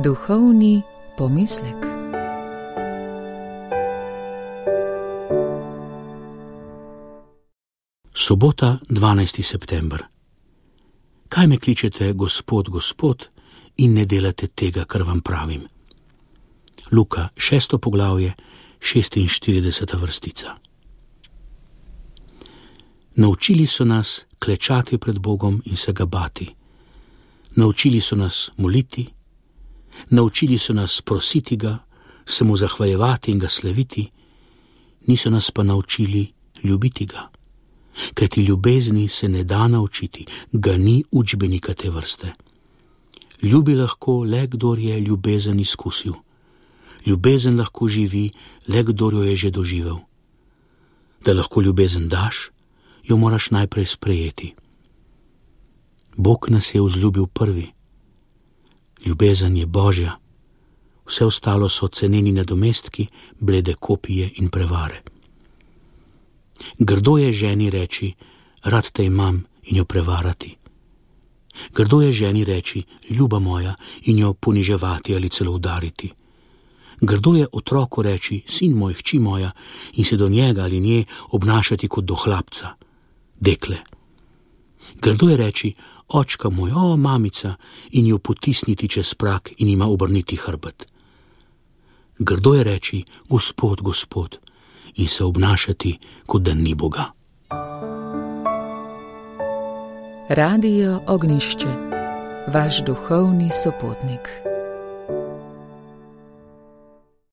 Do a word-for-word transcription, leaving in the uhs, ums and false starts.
Duhovni pomislek. Sobota, dvanajsti september. Kaj me kličete, Gospod, Gospod, in ne delate tega, kar vam pravim? Luka, šesto poglavje, šestinštirideseta vrstica. Naučili so nas klečati pred Bogom in se ga bati. Naučili so nas moliti, naučili so nas prositi ga, se mu zahvaljevati in ga slaviti, niso nas pa naučili ljubiti ga. Kajti ljubezni se ne da naučiti, ga ni učbenika te vrste. Ljubi lahko le, kdor je ljubezen izkusil. Ljubezen lahko živi le, kdor jo je že doživel. Da lahko ljubezen daš, jo moraš najprej sprejeti. Bog nas je vzljubil prvi. Ljubezen je Božja, vse ostalo so ceneni nadomestki, blede kopije in prevare. Grdo je ženi reči, rad te imam, in jo prevarati. Grdo je ženi reči, ljuba moja, in jo poniževati ali celo udariti. Grdo je otroku reči, sin moj, hči moja, in se do njega ali nje obnašati kot do hlapca, dekle. Grdo je reči, očka moj, o mamica, in jo potisniti čez prak in ima obrniti hrbet. Grdo je reči, Gospod, Gospod, in se obnašati, kot da ni Boga. Radio Ognjišče, vaš duhovni sopotnik.